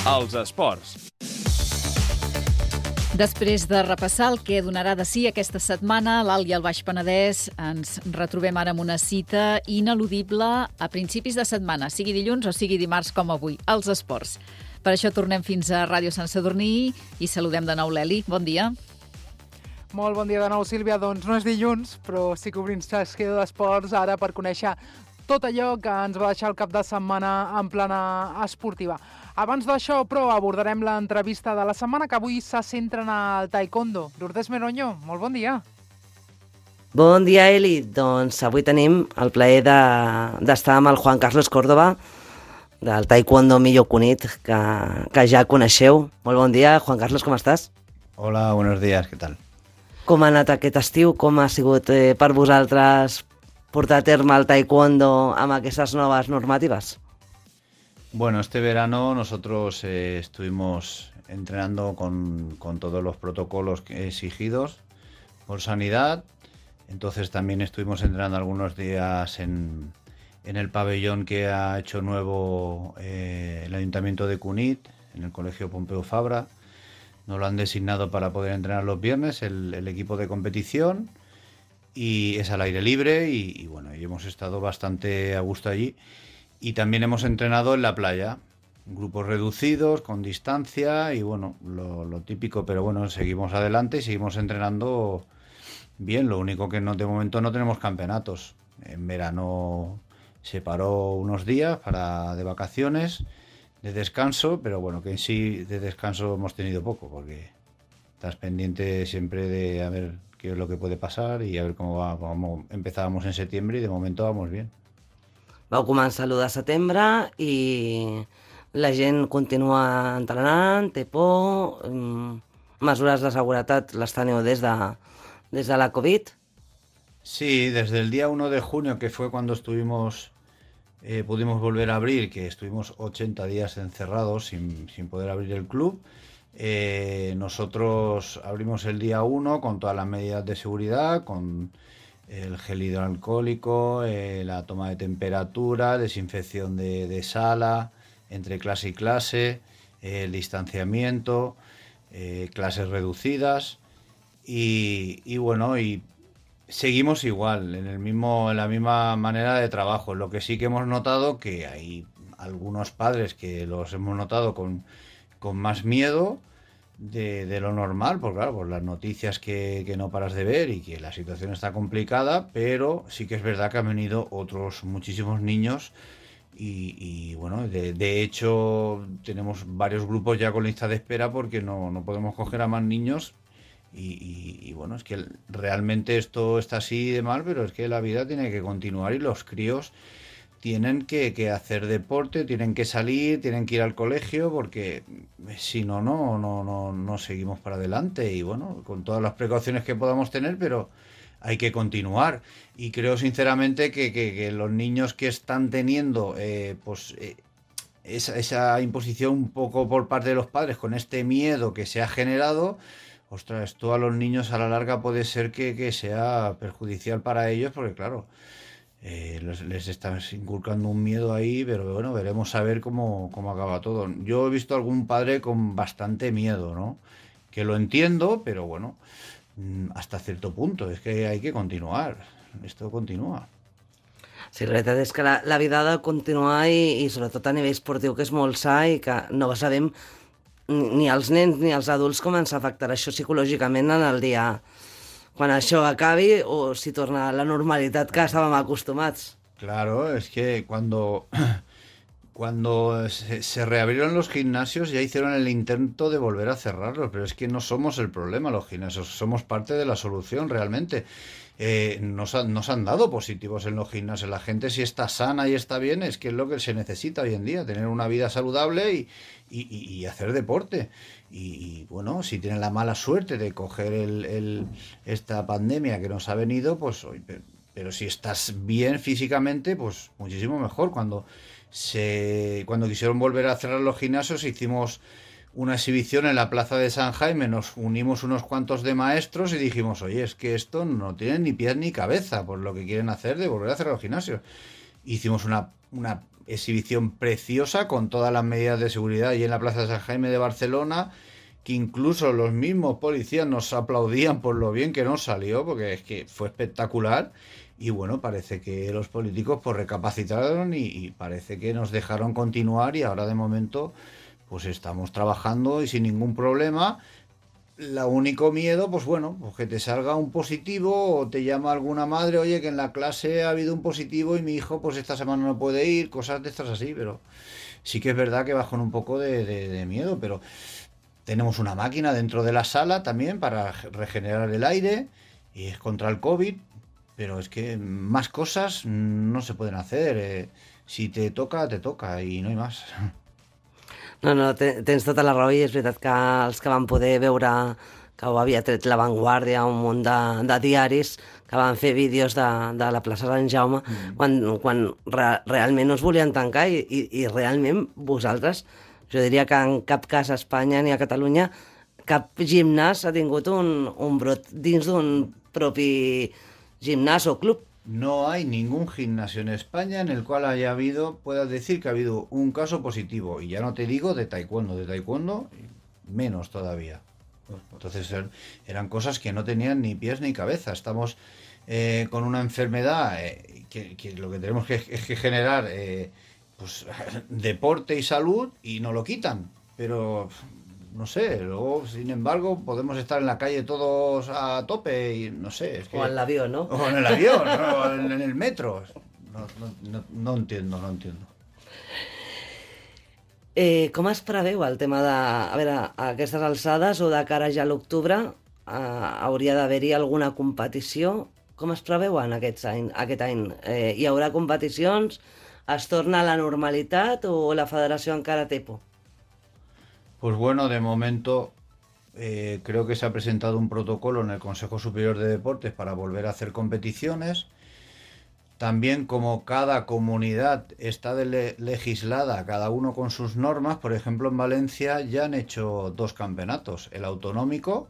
Els esports. Després de repassar el que donarà de si aquesta setmana, l'Alt i el Baix Penedès, ens retrobem ara amb una cita ineludible a principis de setmana, sigui dilluns o sigui dimarts com avui, als esports. Per això tornem fins a Ràdio Sant Sadurní i saludem de nou l'Eli. Bon dia. Molt bon dia de nou, Sílvia. Doncs no és dilluns, però sí que obrim secció d'esports ara per conèixer tot allò que ens va deixar el cap de setmana en plana esportiva. Abans d'això, però, abordarem l'entrevista de la setmana, que avui se centra en el taekwondo. Lourdes Meroño, molt bon dia. Bon dia, Eli. Doncs avui tenim el plaer d'estar amb el Juan Carlos Córdoba, del taekwondo Millo Cunit, que ja coneixeu. Molt bon dia, Juan Carlos, com estàs? Hola, buenos días, ¿qué tal? Com ha anat aquest estiu? Com ha sigut per vosaltres portar a terme el taekwondo amb aquestes noves normatives? Bueno, este verano nosotros estuvimos entrenando con todos los protocolos exigidos por sanidad. Entonces también estuvimos entrenando algunos días en el pabellón que ha hecho nuevo el Ayuntamiento de Cunit, en el Colegio Pompeu Fabra. Nos lo han designado para poder entrenar los viernes el equipo de competición y es al aire libre y bueno, y hemos estado bastante a gusto allí. Y también hemos entrenado en la playa, grupos reducidos, con distancia y bueno, lo típico, pero bueno, seguimos adelante y seguimos entrenando bien. Lo único que de momento no tenemos campeonatos. En verano se paró unos días de vacaciones, de descanso, pero bueno, que en sí de descanso hemos tenido poco, porque estás pendiente siempre de a ver qué es lo que puede pasar y a ver cómo va. Como empezábamos en septiembre y de momento vamos bien. Vau començar l'1 de setembre i la gent continua entrenant, té por, mesures de seguretat les teniu des de la Covid? Sí, desde el día 1 de junio, que fue cuando pudimos volver a abrir, que estuvimos 80 días encerrados sin poder abrir el club. Nosotros abrimos el día 1 con todas las medidas de seguridad, con el gel hidroalcohólico, la toma de temperatura, desinfección de sala, entre clase y clase, el distanciamiento, clases reducidas y bueno, y seguimos igual, en la misma manera de trabajo. Lo que sí que hemos notado que hay algunos padres que los hemos notado con más miedo de lo normal, porque claro, por las noticias que no paras de ver y que la situación está complicada, pero sí que es verdad que han venido otros muchísimos niños y bueno, de hecho tenemos varios grupos ya con lista de espera porque no podemos coger a más niños y bueno, es que realmente esto está así de mal, pero es que la vida tiene que continuar y los críos tienen que hacer deporte, tienen que salir, tienen que ir al colegio, porque si no seguimos para adelante. Y bueno, con todas las precauciones que podamos tener, pero hay que continuar. Y creo sinceramente que los niños que están teniendo esa imposición un poco por parte de los padres, con este miedo que se ha generado, ostras, esto a los niños a la larga puede ser que sea perjudicial para ellos, porque claro, les estás inculcando un miedo ahí, pero bueno, veremos a ver cómo acaba todo. Yo he visto algún padre con bastante miedo, ¿no? Que lo entiendo, pero bueno, hasta cierto punto, es que hay que continuar, esto continúa. Sí, la veritat és que la vida ha de continuar i sobretot a nivell esportiu, que és molt sa i que no sabem ni els nens ni els adults com ens afectarà això psicològicament en el dia quan això acabi o si torna a la normalitat que estàvem acostumats. Claro, es que cuando se reabrieron los gimnasios ya hicieron el intento de volver a cerrarlos, pero es que no somos el problema los gimnasios, somos parte de la solución realmente. Nos han dado positivos en los gimnasios. La gente, si está sana y está bien, es que es lo que se necesita hoy en día, tener una vida saludable y hacer deporte. Y bueno, si tienen la mala suerte de coger esta pandemia que nos ha venido, pues pero si estás bien físicamente, pues muchísimo mejor. Cuando quisieron volver a cerrar los gimnasios, hicimos una exhibición en la plaza de San Jaime, nos unimos unos cuantos de maestros y dijimos, oye, es que esto no tiene ni pies ni cabeza por lo que quieren hacer de volver a cerrar los gimnasios. Hicimos una exhibición preciosa con todas las medidas de seguridad y en la Plaza de San Jaime de Barcelona, que incluso los mismos policías nos aplaudían por lo bien que nos salió, porque es que fue espectacular. Y bueno, parece que los políticos pues recapacitaron y parece que nos dejaron continuar y ahora de momento pues estamos trabajando y sin ningún problema. Lo único miedo, pues bueno, pues que te salga un positivo o te llama alguna madre, oye, que en la clase ha habido un positivo y mi hijo pues esta semana no puede ir, cosas de estas así, pero sí que es verdad que vas con un poco de miedo, pero tenemos una máquina dentro de la sala también para regenerar el aire y es contra el COVID, pero es que más cosas no se pueden hacer. Si te toca y no hay más. No, tens tota la raó i és veritat que els que van poder veure que ho havia tret La Vanguardia, un munt de diaris que van fer vídeos de la plaça Sant Jaume quan realment no es volien tancar i realment vosaltres, jo diria que en cap cas a Espanya ni a Catalunya cap gimnàs ha tingut un brot dins d'un propi gimnàs o club. No hay ningún gimnasio en España en el cual puedas decir que ha habido un caso positivo. Y ya no te digo de taekwondo menos todavía. Entonces eran cosas que no tenían ni pies ni cabeza. Estamos con una enfermedad que lo que tenemos es que generar pues, deporte y salud y no lo quitan. Pero no sé, luego, sin embargo, podemos estar en la calle todos a tope y no sé. Es que... O en l'avió, no? O en el avión, o en el metro. No entiendo. Com es preveu el tema de... A veure, a aquestes alçades o de cara ja a l'octubre hauria d'haver-hi alguna competició. Com es preveuen aquest any? Hi haurà competicions? Es torna a la normalitat o la federació encara té por? Pues bueno, de momento creo que se ha presentado un protocolo en el Consejo Superior de Deportes para volver a hacer competiciones. También como cada comunidad está legislada, cada uno con sus normas, por ejemplo en Valencia ya han hecho 2 campeonatos, el autonómico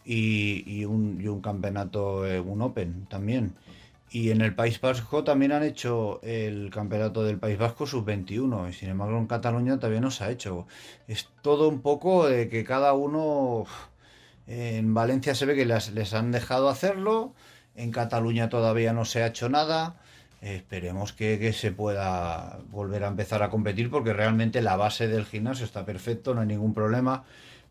y un campeonato, un Open también. Y en el País Vasco también han hecho el campeonato del País Vasco sub-21 y sin embargo en Cataluña todavía no se ha hecho. Es todo un poco de que cada uno... En Valencia se ve que les han dejado hacerlo, en Cataluña todavía no se ha hecho nada. Esperemos que se pueda volver a empezar a competir porque realmente la base del gimnasio está perfecto, no hay ningún problema.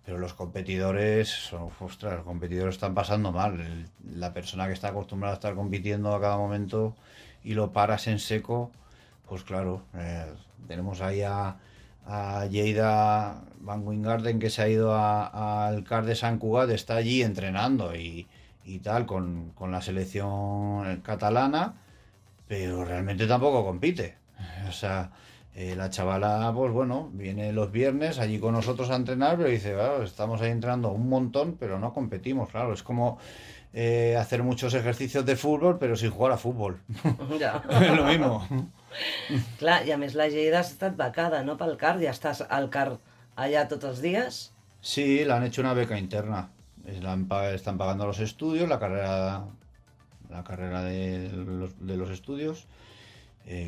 Pero los competidores, los competidores están pasando mal. La persona que está acostumbrada a estar compitiendo a cada momento y lo paras en seco, pues claro, tenemos ahí a Lleida Van Wingarden que se ha ido al CAR de Sant Cugat, está allí entrenando y tal con la selección catalana, pero realmente tampoco compite. O sea... la chavala, pues bueno, viene los viernes allí con nosotros a entrenar, pero dice, claro, estamos ahí entrenando un montón, pero no competimos, claro, es como hacer muchos ejercicios de fútbol, pero sin jugar a fútbol. Ja. Es lo mismo. Clar, i a més la Lleida ha estat becada, no, pel CAR? Ja estàs al CAR allà tots els dies? Sí, le han hecho una beca interna. Están pagando los estudios, la carrera de los estudios.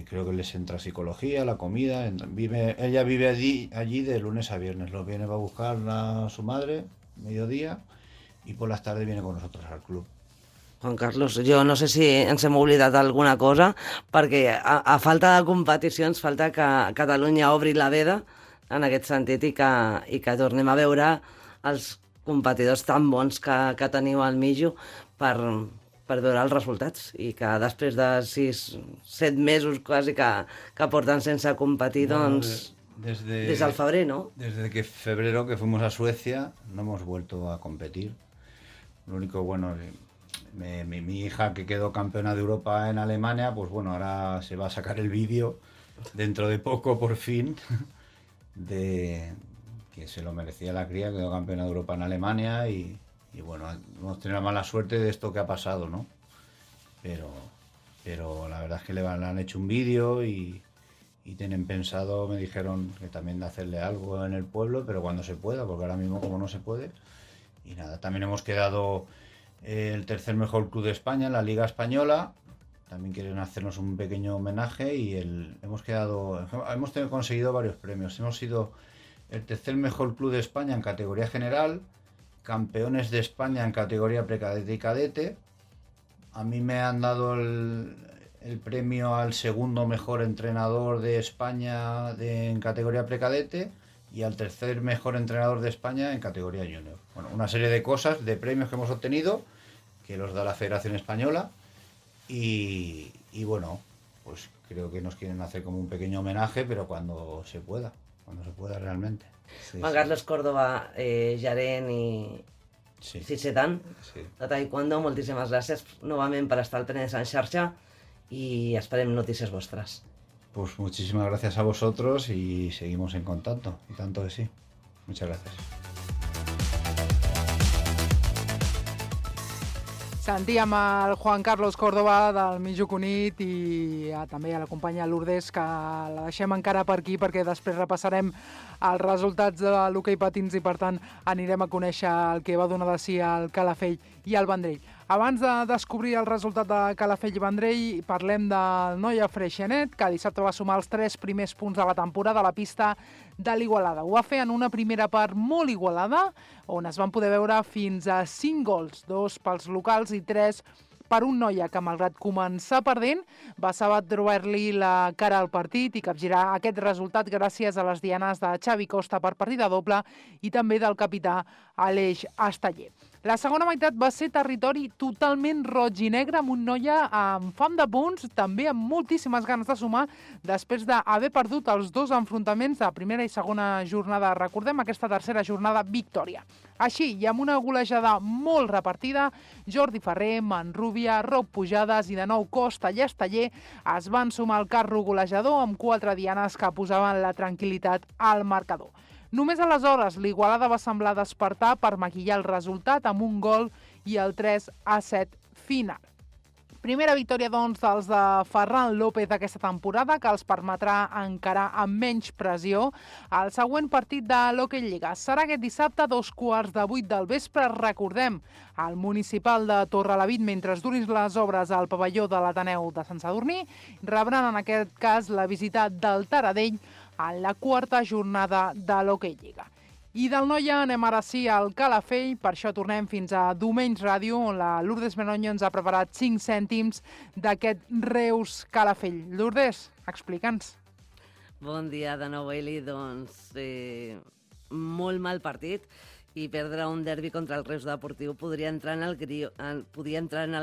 Creo que les entra psicología, la comida. Ella vive allí de lunes a viernes. Los viene a buscar a su madre, mediodía, y por las tardes viene con nosotros al club. Juan Carlos, jo no sé si ens hem oblidat alguna cosa, perquè a falta de competicions, falta que Catalunya obri la veda en aquest sentit i que tornem a veure els competidors tan bons que teniu al Mijo per veure els resultats i que després de 6-7 mesos quasi que porten sense competir, doncs desde el febrer, ¿no? Desde que febrero que fuimos a Suecia no hemos vuelto a competir. Lo único bueno, mi hija que quedó campeona de Europa en Alemania, pues bueno, ahora se va a sacar el vídeo dentro de poco por fin de que se lo merecía la cría, quedó campeona de Europa en Alemania y bueno, hemos tenido la mala suerte de esto que ha pasado, ¿no? Pero la verdad es que le han hecho un vídeo y tienen pensado, me dijeron que también de hacerle algo en el pueblo, pero cuando se pueda, porque ahora mismo como no se puede. Y nada, también hemos quedado el tercer mejor club de España en la Liga Española también quieren hacernos un pequeño homenaje y hemos conseguido varios premios. Hemos sido el tercer mejor club de España en categoría general, campeones de España en categoría precadete y cadete. A mí me han dado el premio al segundo mejor entrenador de España en categoría precadete y al tercer mejor entrenador de España en categoría junior. Bueno, una serie de cosas, de premios que hemos obtenido, que los da la Federación Española y bueno, pues creo que nos quieren hacer como un pequeño homenaje, pero cuando se pueda realmente. Sí, Juan Carlos Córdoba, gerent i cisetant de Taekwondo, moltíssimes gràcies novament per estar al Penedès en xarxa i esperem notícies vostres. Pues muchísimas gracias a vosotros y seguimos en contacto, y tanto que sí. Muchas gracias. Sentíem el Juan Carlos Córdoba del Mitjuk Unit i també a la companya Lourdes, que la deixem encara per aquí perquè després repassarem els resultats de l'hoquei patins i per tant anirem a conèixer el que va donar de si el Calafell i el Vendrell. Abans de descobrir el resultat de Calafell i Vendrell, parlem del Noia Freixenet, que dissabte va sumar els 3 primers punts de la temporada a la pista de l'Igualada. Ho va fer en una primera part molt igualada, on es van poder veure fins a 5 gols, 2 pels locals i 3 per un Noia que, malgrat començar perdent, va saber trobar-li la cara al partit i capgirar aquest resultat gràcies a les dianes de Xavi Costa per partida doble i també del capità Aleix Esteller. La segona meitat va ser territori totalment roig i negre, amb un Noia amb fam de punts, també amb moltíssimes ganes de sumar, després d'haver perdut els 2 enfrontaments de primera i segona jornada. Recordem aquesta tercera jornada victòria. Així, i amb una golejada molt repartida, Jordi Ferrer, Manrubia, Roc Pujades i de nou Costa i Esteller es van sumar al carro golejador amb 4 dianes que posaven la tranquil·litat al marcador. Només aleshores l'Igualada va semblar despertar per maquillar el resultat amb un gol i el 3-7 final. Primera victòria, doncs, dels de Ferran López d'aquesta temporada, que els permetrà encarar amb menys pressió el següent partit de l'Hockey Lliga. Serà aquest dissabte a 7:15 del vespre. Recordem, al municipal de Torrelavit, mentre es durin les obres al pavelló de l'Ateneu de Sant Sadurní, rebran en aquest cas la visita del Taradell en la 4a jornada de l'Hockey Lliga. I del Noia anem ara sí al Calafell, per això tornem fins a Domenys Ràdio, on la Lourdes Menoño ens ha preparat 5 cèntims d'aquest Reus Calafell. Lourdes, explica'ns. Bon dia de nou, Eli. Doncs molt mal partit i perdre un derbi contra el Reus Deportiu podria entrar en el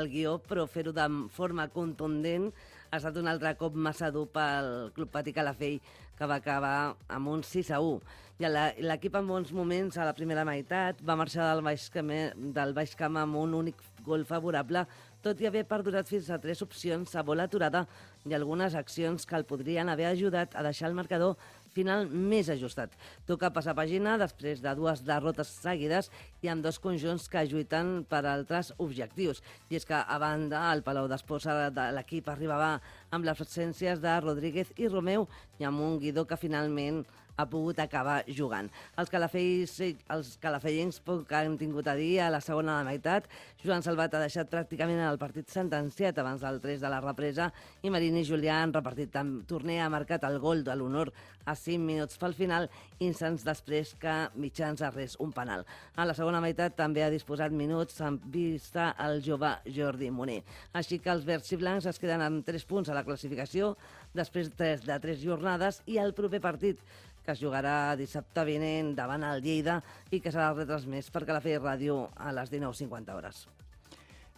guió, però fer-ho de forma contundent ha estat un altre cop massa dur pel Club Patí Calafell, que va acabar amb un 6-1. I l'equip en bons moments a la primera meitat va marxar del Baix Camp amb un únic gol favorable, tot i haver perdurat fins a 3 opcions a bola aturada i algunes accions que el podrien haver ajudat a deixar el marcador final més ajustat. Toca passar pàgina després de 2 derrotes seguides i amb 2 conjunts que lluiten per altres objectius. I és que, a banda, el Palau d'Esports de l'equip arribava amb les absències de Rodríguez i Romeu i amb un Guidó que finalment ha pogut acabar jugant. Els calafellens poc han tingut a dir a la segona meitat. Joan Salvat ha deixat pràcticament el partit sentenciat abans del 3 de la represa i Marín i Julià han repartit torner, ha marcat el gol de l'honor a 5 minuts pel final, instants després que Mitjans arrés un penal. A la segona meitat també ha disposat minuts amb vista el jove Jordi Moner. Així que els verds i blancs es queden amb 3 punts a la classificació després de 3 jornades i el proper partit, que es jugarà dissabte vinent davant el Lleida i que serà retransmès per Calafell Ràdio a les 19:50.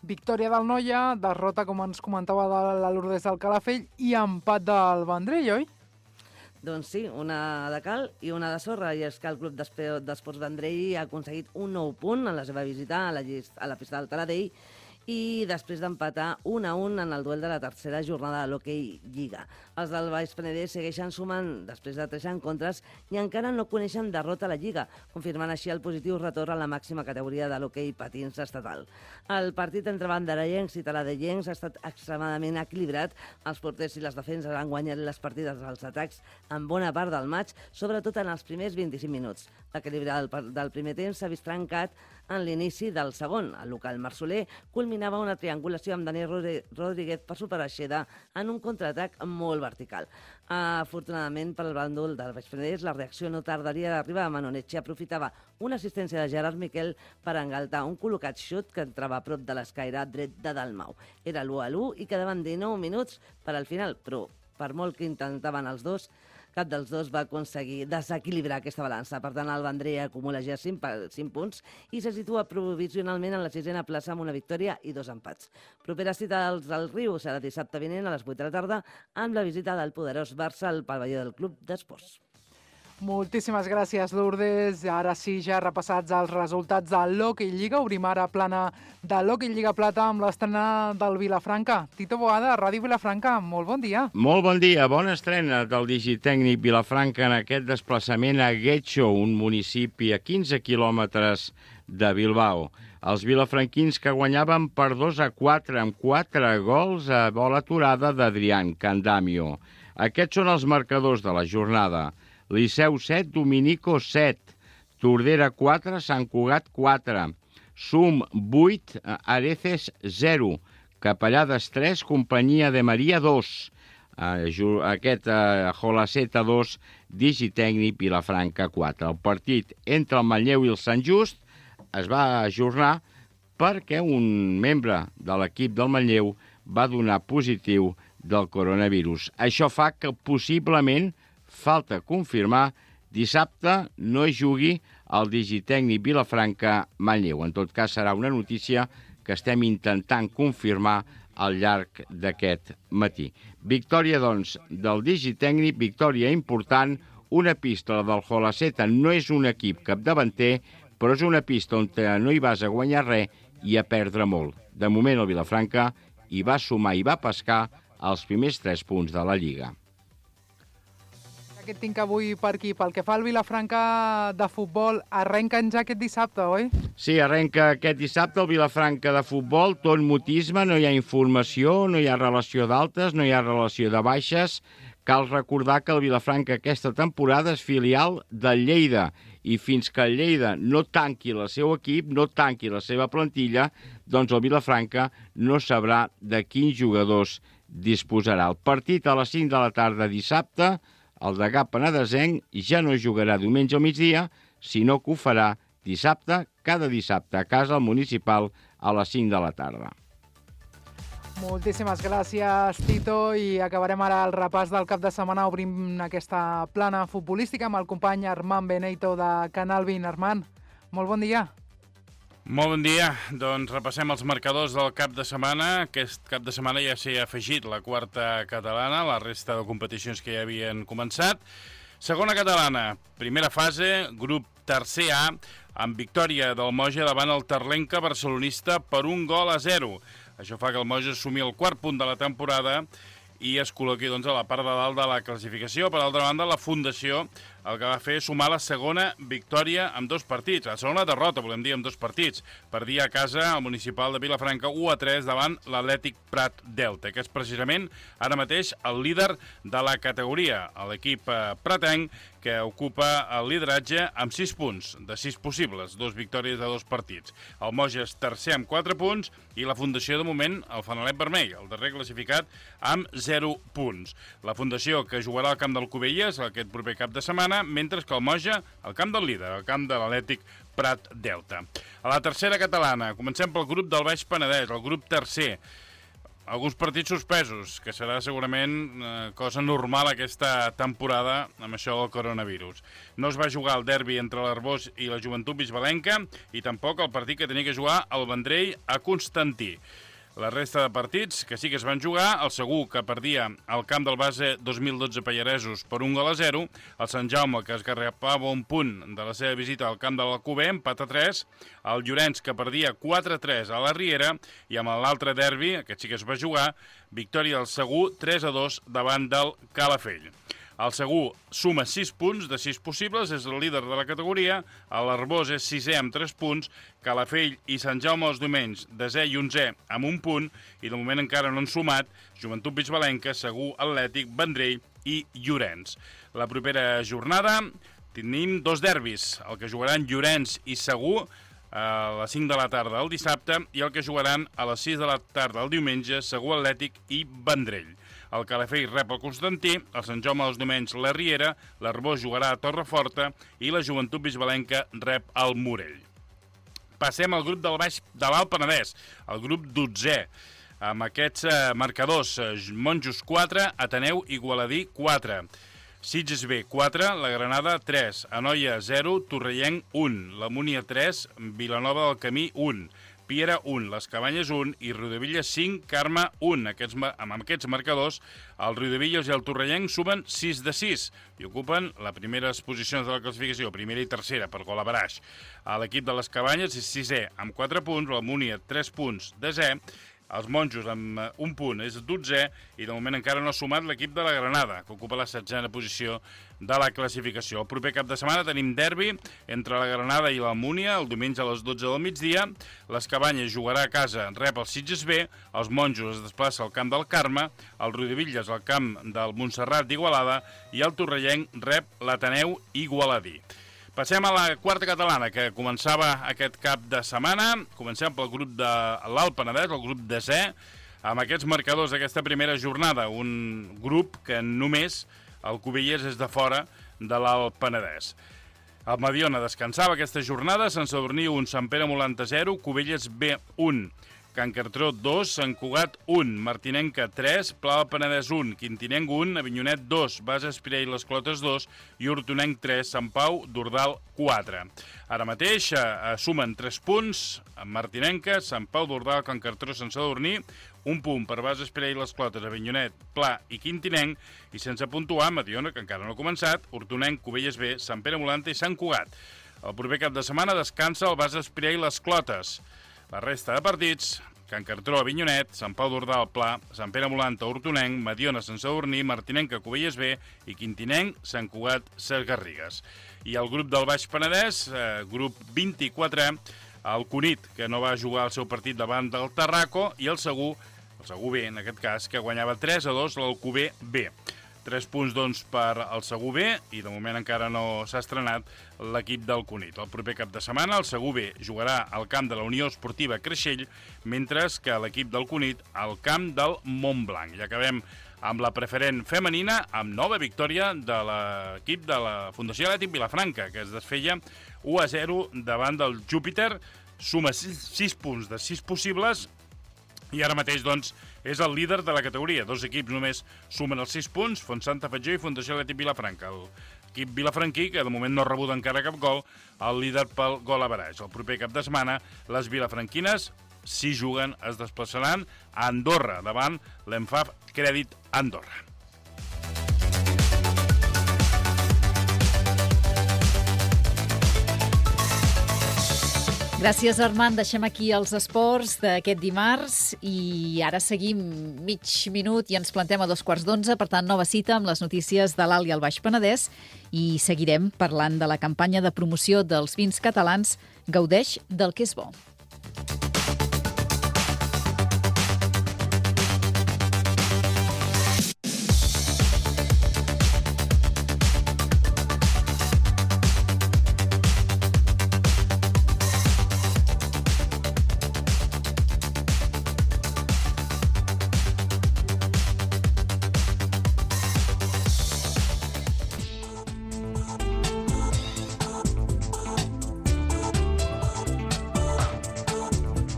Victòria del Noia, derrota, com ens comentava, de la Lourdes del Calafell i empat del Vendrell, oi? Doncs sí, una de cal i una de sorra, i és que el Club d'Esports Vendrell ha aconseguit un nou punt en la seva visita a la pista del Taradell i després d'empatar 1-1 en el duel de la tercera jornada de l'Hockey Lliga. Els del Baix Penedès segueixen sumant després de 3 encontres i encara no coneixen derrota a la Lliga, confirmant així el positiu retorn a la màxima categoria de l'hoquei patins estatal. El partit entre banderellencs i taladellencs ha estat extremadament equilibrat. Els porters i les defenses han guanyat les partides dels atacs en bona part del maig, sobretot en els primers 25 minuts. L'equilibri del primer temps s'ha vist trencat en l'inici del segon. El local marsoler culmina combinava una triangulació amb Dani Rodríguez per superar Xeda en un contraatac molt vertical. Afortunadament, per al bàndol del Baix Penedès, la reacció no tardaria d'arribar. Manonetxe aprofitava una assistència de Gerard Miquel per engaltar un col·locat xut que entrava a prop de l'escaire dret de Dalmau. Era l'1-1 i quedaven 19 minuts per al final, però per molt que intentaven els dos, cap dels dos va aconseguir desequilibrar aquesta balança. Per tant, el Vendrell acumula ja 5 punts i se situa provisionalment en la 6a plaça amb una victòria i 2 empats. Propera cita del Riu serà dissabte vinent a les 8 de la tarda amb la visita del poderós Barça al pavelló del Club d'Esports. Moltíssimes gràcies, Lourdes. Ara sí, ja repassats els resultats de l'Hockey Lliga. Obrim ara plana de l'Hockey Lliga Plata amb l'estrena del Vilafranca. Tito Boada, Ràdio Vilafranca, molt bon dia. Molt bon dia, bona estrena del Digitècnic Vilafranca en aquest desplaçament a Guetxo, un municipi a 15 quilòmetres de Bilbao. Els vilafranquins que guanyaven per 2-4 amb 4 gols a bola aturada d'Adrián Candamio. Aquests són els marcadors de la jornada. Liceu 7, Dominico 7, Tordera 4, Sant Cugat 4, Sum 8, Areces 0, Capellades 3, Companyia de Maria 2, aquest Jolaceta 2, Digitècnic Vilafranca 4. El partit entre el Manlleu i el Sant Just es va ajornar perquè un membre de l'equip del Manlleu va donar positiu del coronavirus. Això fa que possiblement, falta confirmar, dissabte no hi jugui el Digitècnic Vilafranca-Manlleu. En tot cas, serà una notícia que estem intentant confirmar al llarg d'aquest matí. Victòria, doncs, del Digitècnic, victòria important, una pista, la del Jolaceta, no és un equip capdavanter, però és una pista on no hi vas a guanyar res i a perdre molt. De moment, el Vilafranca hi va sumar i va pescar els primers 3 punts de la Lliga. Aquest tinc avui per aquí. Pel que fa al Vilafranca de futbol, arrenquen ja aquest dissabte, oi? Sí, arrenca aquest dissabte el Vilafranca de futbol, tot mutisme, no hi ha informació, no hi ha relació d'altes, no hi ha relació de baixes. Cal recordar que el Vilafranca aquesta temporada és filial del Lleida i fins que el Lleida no tanqui el seu equip, no tanqui la seva plantilla, doncs el Vilafranca no sabrà de quins jugadors disposarà. El partit a les 5 de la tarda dissabte, el degà penedesenc ja no jugarà diumenge al migdia, sinó que ho farà dissabte, cada dissabte, a casa al municipal a les 5 de la tarda. Moltíssimes gràcies, Tito, i acabarem ara el repàs del cap de setmana. Obrim aquesta plana futbolística amb el company Armand Beneito de Canal 20. Armand, molt bon dia. Molt bon dia. Doncs repassem els marcadors del cap de setmana. Aquest cap de setmana ja s'hi ha afegit la quarta catalana, la resta de competicions que ja havien començat. Segona catalana, primera fase, grup tercer A, amb victòria del Moja davant el Terlenca barcelonista per 1-0. Això fa que el Moja assumi el 4 punt de la temporada i es col·loqui doncs, a la part de dalt de la classificació. Per altra banda, la Fundació el que va fer és sumar la segona victòria amb 2 partits. La segona derrota, volem dir, amb 2 partits. Perdia a casa el municipal de Vilafranca 1-3 davant l'Atlètic Prat Delta, que és precisament ara mateix el líder de la categoria, l'equip pratenc, que ocupa el lideratge amb 6 punts, de 6 possibles, 2 victòries de 2 partits. El Moja és tercer amb 4 punts i la Fundació, de moment, el Fanalet Vermell, el darrer classificat, amb 0 punts. La Fundació, que jugarà al camp del Cubelles aquest proper cap de setmana, mentre que el Moja, al camp del líder, al camp de l'Atlètic Prat Delta. A la tercera catalana, comencem pel grup del Baix Penedès, el grup tercer. Alguns partits suspesos, que serà segurament cosa normal aquesta temporada amb això del coronavirus. No es va jugar el derbi entre l'Arbós i la Joventut Bisbalenca i tampoc el partit que tenia que jugar el Vendrell a Constantí. La resta de partits que sí que es van jugar, el Segur, que perdia al camp del base 2012 Pallaresos per 1-0, el Sant Jaume, que es garrapava un punt de la seva visita al camp de l'Alcover, empat a 3, el Llorenç, que perdia 4-3 a la Riera, i amb l'altre derbi, aquest sí que es va jugar, victòria del Segur 3-2 davant del Calafell. El Segur suma 6 punts de 6 possibles, és el líder de la categoria, l'Arbós és 6è amb 3 punts, Calafell i Sant Jaume els Domenys, 10è i 11è amb 1 punt, i de moment encara no han sumat Joventut Bisbalenca, Segur, Atlètic, Vendrell i Llorenç. La propera jornada tenim 2 derbis, el que jugaran Llorenç i Segur a les 5 de la tarda el dissabte, i el que jugaran a les 6 de la tarda el diumenge, Segur Atlètic i Vendrell. El Calafell rep el Constantí, el Sant Jaume dels Domenys la Riera, l'Arbós jugarà a Torreforta i la Joventut Bisbalenca rep el Morell. Passem al grup del baix de l'Alt Penedès, el grup 12è, amb aquests marcadors: Monjos 4, Ateneu Igualadí 4, Sitges B 4, la Granada 3, Anoia 0, Torrellenc 1, la Múnia 3, Vilanova del Camí 1, Piera 1, les Cabanyes 1 i Riudebitlles 5, Carme 1. Amb aquests marcadors, el Riudebitlles i el Torrellenc sumen 6 de 6 i ocupen les primeres posicions de la classificació, primera i tercera, per gol a baraix. L'equip de les Cabanyes és 6è amb 4 punts, la Múnia 3 punts, 10è, els Monjos amb un punt és 12è i de moment encara no ha sumat l'equip de la Granada, que ocupa la 16a posició de la classificació. El proper cap de setmana tenim derbi entre la Granada i la Múnia, el diumenge a les 12 del migdia. Les Cabanyes jugarà a casa, rep el Sitges B, els Monjos es desplaça al camp del Carme, el Riudebitlles al camp del Montserrat d'Igualada i el Torrellenc rep l'Ateneu Igualadí. Passem a la quarta catalana, que començava aquest cap de setmana. Comencem pel grup de l'Alt Penedès, el grup 10è, amb aquests marcadors d'aquesta primera jornada. Un grup que només el Cubelles és de fora de l'Alt Penedès. El Mediona descansava aquesta jornada, Sant Sadurní 1, Sant Pere Molanta 0, Cubelles B 1, Can Cartró 2, Sant Cugat 1, Martinenca 3, Pla del Penedès 1, Quintinenc 1, Avinyonet 2, Bas Espirà i les Clotes 2 i Hortonenc 3, Sant Pau d'Ordal 4. Ara mateix sumen 3 punts Martinenca, Sant Pau d'Ordal, Can Cartró, Sant Sadurní, un punt per Bas Espirà i les Clotes, Avinyonet, Pla i Quintinenc, i sense puntuar Mediona, que encara no ha començat, Hortonenc, Cubelles B, Sant Pere Molanta i Sant Cugat. El proper cap de setmana descansa el Bas Espirà i les Clotes. La resta de partits: Can Cartró, Avinyonet, Sant Pau d'Ordal, Pla, Sant Pere Molanta, Hortonenc, Mediona, Sant Sadurní, Martinenca, Cubelles B i Quintinenc, Sant Cugat, Ses Garrigues. I el grup del Baix Penedès, grup 24è, el Cunit, que no va jugar el seu partit davant del Tarraco, i el Segur B, en aquest cas, que guanyava 3-2 l'Alcover B. 3 punts, doncs, per al Segur B, i de moment encara no s'ha estrenat l'equip del Cunit. El proper cap de setmana el Segur B jugarà al camp de la Unió Esportiva Creixell, mentre que l'equip del Cunit al camp del Montblanc. I acabem amb la preferent femenina, amb nova victòria de l'equip de la Fundació Atlètic Vilafranca, que es desfeia 1-0 davant del Júpiter, suma 6 punts de 6 possibles, i ara mateix, doncs, és el líder de la categoria. 2 equips només sumen els 6 punts, Fontsanta Fatjó i Fundació Atlètic Vilafranca. L'equip vilafranquí, que de moment no ha rebut encara cap gol, el líder pel gol a baraix. El proper cap de setmana, les vilafranquines, si juguen, es desplaçaran a Andorra, davant l'Enfaf Crèdit Andorra. Gràcies, Armand. Deixem aquí els esports d'aquest dimarts i ara seguim mig minut i ens plantem a 11:15. Per tant, nova cita amb les notícies de l'Alt i el Baix Penedès i seguirem parlant de la campanya de promoció dels vins catalans Gaudeix del que és bo.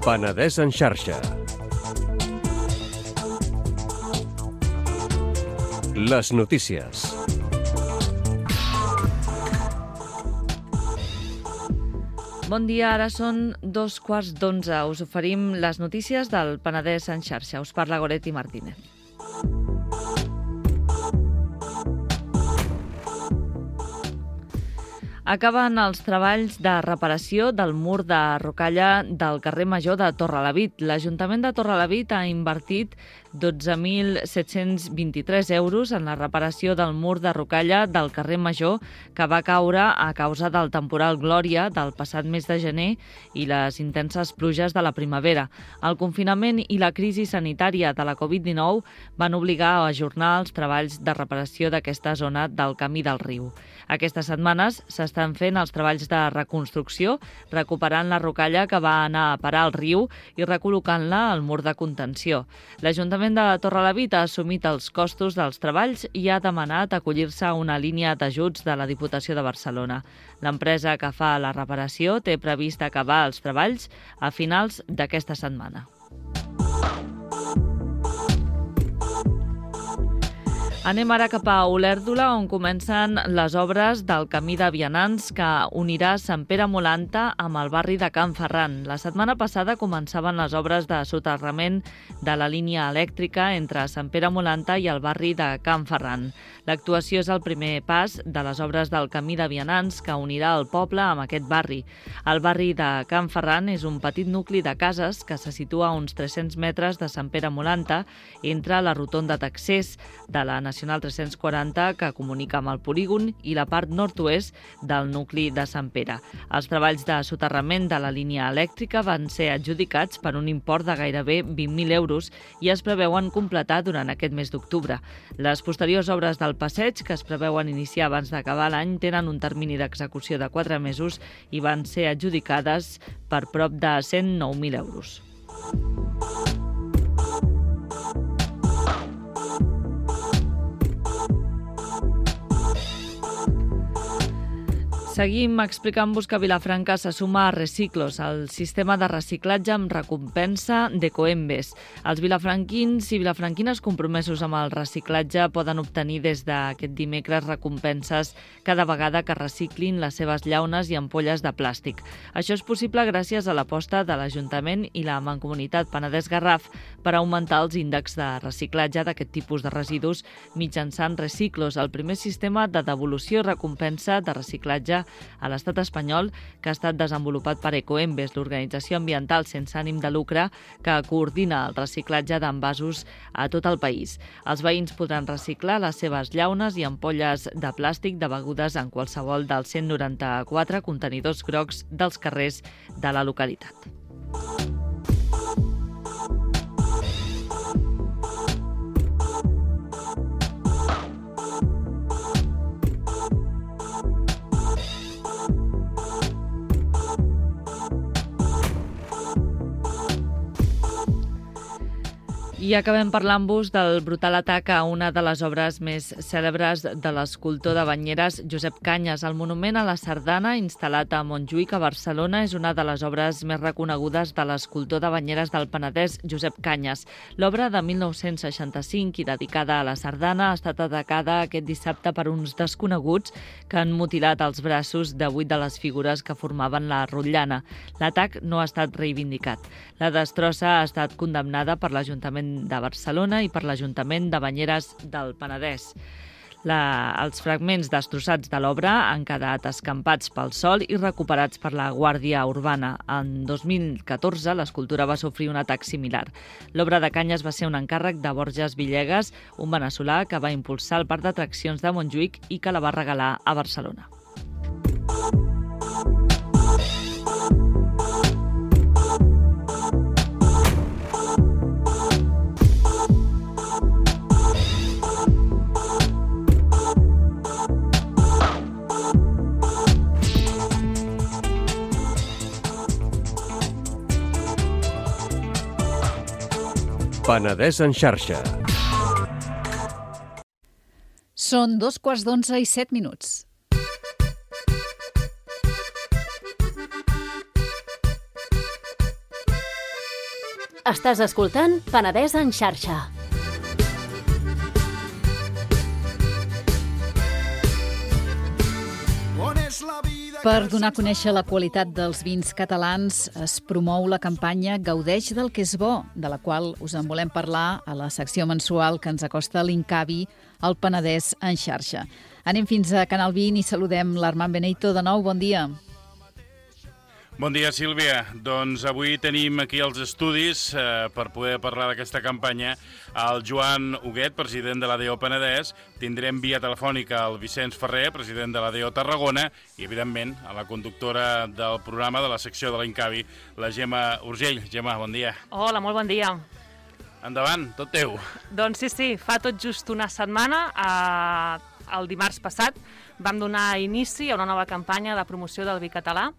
Penedès en xarxa. Les notícies. Bon dia, ara són 11:15. Us oferim les notícies del Penedès en xarxa. Us parla Goretti Martínez. Acaben els treballs de reparació del mur de rocalla del carrer Major de Torrelavit. L'Ajuntament de Torrelavit ha invertit 12.723 euros en la reparació del mur de rocalla del carrer Major que va caure a causa del temporal Glòria del passat mes de gener i les intenses pluges de la primavera. El confinament i la crisi sanitària de la Covid-19 van obligar a ajornar els treballs de reparació d'aquesta zona del camí del riu. Aquestes setmanes s'estan fent els treballs de reconstrucció, recuperant la rocalla que va anar a parar al riu i recol·locant-la al mur de contenció. L'Ajuntament de Torrelavit ha assumit els costos dels treballs i ha demanat acollir-se a una línia d'ajuts de la Diputació de Barcelona. L'empresa que fa la reparació té previst acabar els treballs a finals d'aquesta setmana. Anem ara cap a Olèrdola, on comencen les obres del camí de vianants que unirà Sant Pere Molanta amb el barri de Can Ferran. La setmana passada començaven les obres de soterrament de la línia elèctrica entre Sant Pere Molanta i el barri de Can Ferran. L'actuació és el primer pas de les obres del camí de vianants que unirà el poble amb aquest barri. El barri de Can Ferran és un petit nucli de cases que se situa a uns 300 metres de Sant Pere Molanta entre la rotonda d'accés de la Nacional 340 que comunica amb el polígon i la part nord-oest del nucli de Sant Pere. Els treballs de soterrament de la línia elèctrica van ser adjudicats per un import de gairebé 20.000 euros i es preveuen completar durant aquest mes d'octubre. Les posteriors obres del passeig, que es preveuen iniciar abans d'acabar l'any, tenen un termini d'execució de 4 mesos i van ser adjudicades per prop de 109.000 euros. Seguim explicant-vos que Vilafranca se suma a Reciclos, el sistema de reciclatge amb recompensa d'Ecoembes. Els vilafranquins i vilafranquines compromesos amb el reciclatge poden obtenir des d'aquest dimecres recompenses cada vegada que reciclin les seves llaunes i ampolles de plàstic. Això és possible gràcies a l'aposta de l'Ajuntament i la Mancomunitat Penedès-Garraf per augmentar els índexs de reciclatge d'aquest tipus de residus mitjançant Reciclos, el primer sistema de devolució i recompensa de reciclatge a l'estat espanyol que ha estat desenvolupat per Ecoembes, l'organització ambiental sense ànim de lucre que coordina el reciclatge d'envasos a tot el país. Els veïns podran reciclar les seves llaunes i ampolles de plàstic de begudes en qualsevol dels 194 contenidors grocs dels carrers de la localitat. I acabem parlant-vos del brutal atac a una de les obres més cèlebres de l'escultor de Banyeres, Josep Cañas. El monument a la sardana, instal·lat a Montjuïc, a Barcelona, és una de les obres més reconegudes de l'escultor de Banyeres del Penedès, Josep Cañas. L'obra de 1965 i dedicada a la sardana ha estat atacada aquest dissabte per uns desconeguts que han mutilat els braços de 8 de les figures que formaven la rotllana. L'atac no ha estat reivindicat. La destrossa ha estat condemnada per l'Ajuntament de Barcelona i per l'Ajuntament de Banyeres del Penedès. Els fragments destrossats de l'obra han quedat escampats pel sol i recuperats per la Guàrdia Urbana. En 2014 l'escultura va sofrir un atac similar. L'obra de Cañas va ser un encàrrec de Borges Villegas, un veneçolà que va impulsar el parc d'atraccions de Montjuïc i que la va regalar a Barcelona. Penedès en xarxa. Són 11:15 i 7 minuts. Estàs escoltant Penedès en xarxa. Per donar a conèixer la qualitat dels vins catalans es promou la campanya Gaudeix del que és bo, de la qual us en volem parlar a la secció mensual que ens acosta l'Incavi al Penedès en xarxa. Anem fins a Canal 20 i saludem l'Armand Benito de nou. Bon dia. Bon dia, Sílvia. Doncs avui tenim aquí als estudis, per poder parlar d'aquesta campanya, el Joan Huguet, president de l'ADO Penedès, tindrem via telefònica el Vicenç Ferrer, president de l'ADO Tarragona, i, evidentment, a la conductora del programa de la secció de l'Incavi, la Gemma Urgell. Gemma, bon dia. Hola, molt bon dia. Endavant, tot teu. Doncs sí, fa tot just una setmana, el dimarts passat, vam donar inici a una nova campanya de promoció del vi català,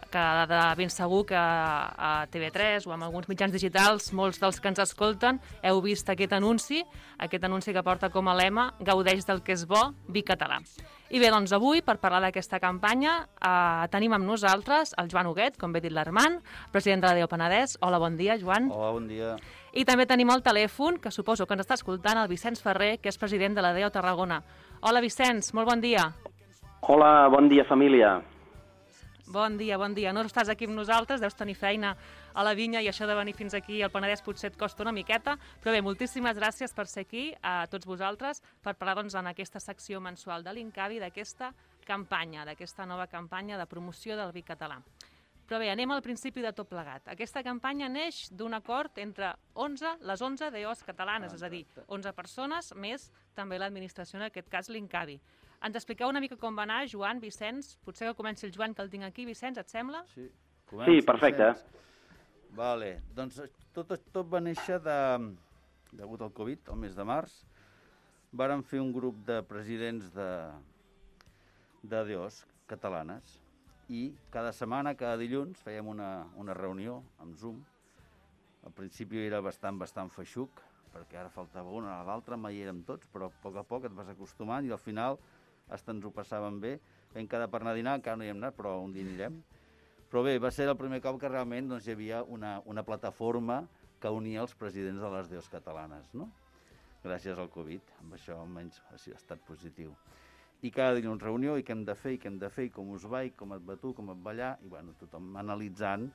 que de ben segur que a TV3 o en alguns mitjans digitals, molts dels que ens escolten, heu vist aquest anunci que porta com a lema "Gaudeix del que és bo, vi català". I bé, doncs avui, per parlar d'aquesta campanya, tenim amb nosaltres el Joan Huguet, com bé dit l'Armand, president de l'ADO Penedès. Hola, bon dia, Joan. Hola, bon dia. I també tenim al telèfon, que suposo que ens està escoltant, el Vicenç Ferrer, que és president de l'ADO Tarragona. Hola, Vicenç, molt bon dia. Hola, bon dia, família. Bon dia, bon dia. No estàs aquí amb nosaltres, deus tenir feina a la vinya i això de venir fins aquí al Penedès potser et costa una miqueta, però bé, moltíssimes gràcies per ser aquí, a tots vosaltres, per parlar doncs, en aquesta secció mensual de l'Incavi d'aquesta campanya, d'aquesta nova campanya de promoció del vi català. Però bé, anem al principi de tot plegat. Aquesta campanya neix d'un acord entre les 11 DOs catalanes, és a dir, 11 persones, més també l'administració, en aquest cas l'Incavi. Ens expliqueu una mica com va anar, Joan, Vicenç? Potser que comenci el Joan, que el tinc aquí. Vicenç, et sembla? Sí, perfecte. Vale. Doncs tot va néixer degut al Covid, el mes de març. Vàrem fer un grup de presidents de DOs catalanes i cada setmana, cada dilluns, fèiem una reunió amb Zoom. Al principi era bastant feixuc, perquè ara faltava una a l'altra, mai érem tots, però a poc et vas acostumant i al final hasta ens ho passàvem bé. Vam quedar per anar a dinar, encara no hi hem anat, però un dia anirem. Però bé, va ser el primer cop que realment hi havia una plataforma que unia els presidents de les DOs catalanes, no? Gràcies al Covid, amb això almenys ha estat positiu. I cada dilluns reunió, i què hem de fer, i com us va, i com et va tu, com et va allà, i bueno, tothom analitzant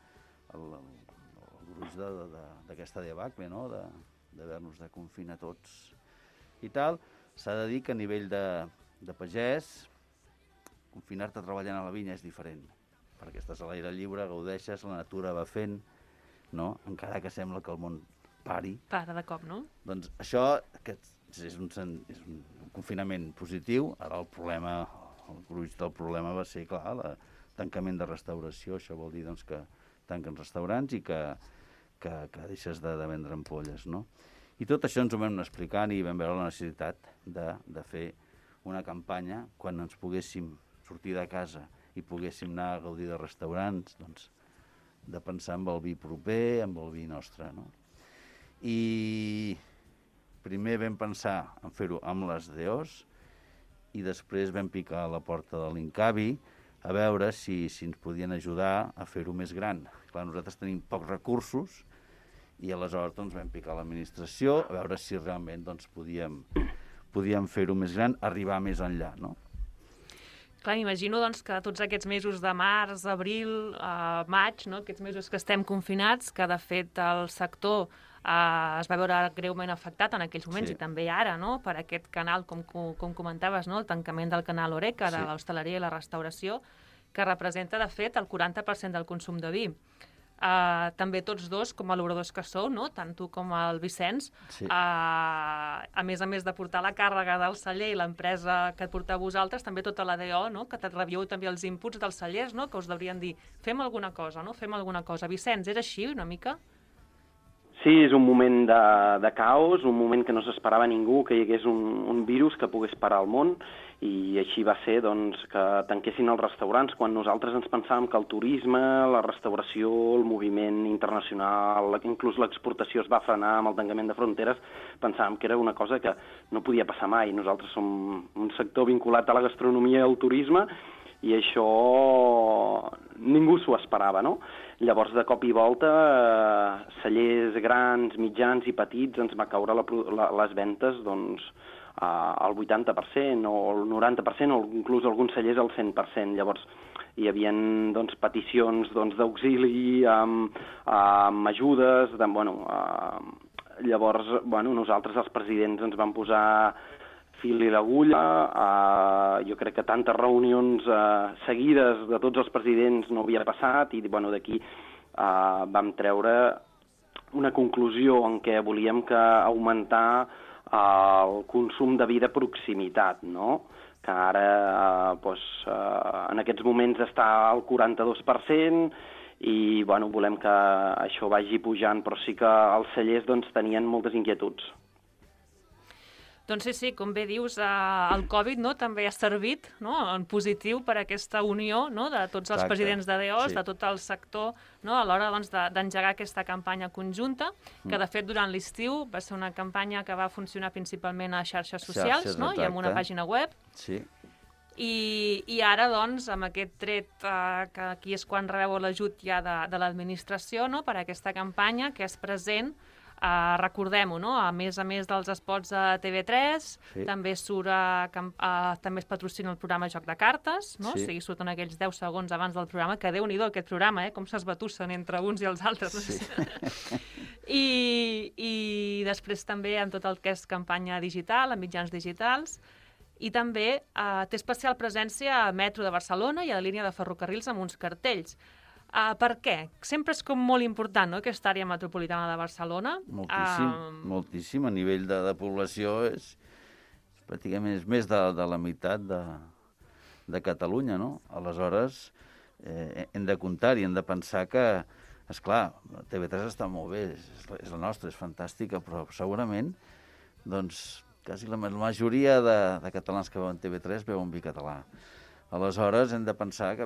el gruix d'aquesta debacle, no?, d'haver-nos de confinar tots i tal. S'ha de dir que a nivell de pagès, confinar-te treballant a la vinya és diferent, perquè estàs a l'aire lliure, gaudeixes, la natura va fent, no? Encara que sembla que el món pari. Para de cop, no? Doncs això és un confinament positiu. Ara el gruix del problema va ser, clar, el tancament de restauració. Això vol dir doncs, que tanquen restaurants i que deixes de vendre ampolles, no? I tot això ens ho vam anar explicant i vam veure la necessitat de fer una campanya quan ens poguéssim sortir de casa i poguéssim anar a gaudir de restaurants, doncs, de pensar en el vi proper, en el vi nostre, no? I primer vam pensar en fer-ho amb les DOs i després vam picar a la porta de l'Incavi a veure si ens podien ajudar a fer-ho més gran. Clar, nosaltres tenim pocs recursos i aleshores doncs, vam picar a l'administració a veure si realment doncs, podíem fer-ho més gran, arribar més enllà, no? Clar, m'imagino doncs, que tots aquests mesos de març, abril, maig, no? Aquests mesos que estem confinats, que de fet el sector es va veure greument afectat en aquells moments, sí. I també ara, no? Per aquest canal, com comentaves, no? El tancament del canal Horeca, de l'hostaleria i la restauració, que representa, de fet, el 40% del consum de vi. També tots dos, com a obradors que sou, no? Tant tu com el Vicenç, sí. A més de portar la càrrega del celler i l'empresa que et porteu vosaltres, també tota la DO, no? Que revieu també els inputs dels cellers, no? Que us deurien dir, fem alguna cosa, no? Fem alguna cosa. Vicenç, és així una mica? Sí, és un moment de caos, un moment que no s'esperava ningú que hi hagués un virus que pogués parar el món, i així va ser doncs, que tanquessin els restaurants quan nosaltres ens pensàvem que el turisme, la restauració, el moviment internacional, inclús l'exportació es va frenar amb el tancament de fronteres, pensàvem que era una cosa que no podia passar mai. Nosaltres som un sector vinculat a la gastronomia i al turisme i això ningú s'ho esperava, no? Llavors, de cop i volta, cellers grans, mitjans i petits ens va caure les ventes, doncs, al 80% o al 90% o inclús alguns cellers al 100%. Llavors hi havia doncs, peticions d'auxili amb ajudes. Llavors nosaltres els presidents ens vam posar fil i l'agulla. Jo crec que tantes reunions seguides de tots els presidents no havia passat i d'aquí vam treure una conclusió en què volíem que augmentar el consum de vi de proximitat, no? Que ara en aquests moments està al 42%, i volem que això vagi pujant, però sí que els cellers tenien moltes inquietuds. Doncs sí, com bé dius, el Covid també ha servit en positiu per aquesta unió de tots els presidents de DEOS, de tot el sector, a l'hora d'engegar aquesta campanya conjunta, que de fet durant l'estiu va ser una campanya que va funcionar principalment a xarxes socials i amb una pàgina web. Sí. I ara, doncs, amb aquest tret, que aquí és quan rebeu l'ajut ja de l'administració per a aquesta campanya, que és present, recordem-ho, a més dels spots de TV3, també també es patrocina el programa Joc de Cartes, o sigui, surten aquells 10 segons abans del programa, que Déu-n'hi-do aquest programa, com s'esbatussen entre uns i els altres. I després també amb tot el que és campanya digital, amb mitjans digitals, i també té especial presència a Metro de Barcelona i a la línia de ferrocarrils amb uns cartells. Per què? Sempre és com molt important, aquesta àrea metropolitana de Barcelona. Moltíssim. A nivell de població és pràcticament més de la meitat de Catalunya, no? Aleshores, hem de comptar i hem de pensar que, esclar, TV3 està molt bé, és la nostra, és fantàstica, però segurament, doncs, quasi la majoria de catalans que veuen TV3 veuen vi català. Aleshores, hem de pensar que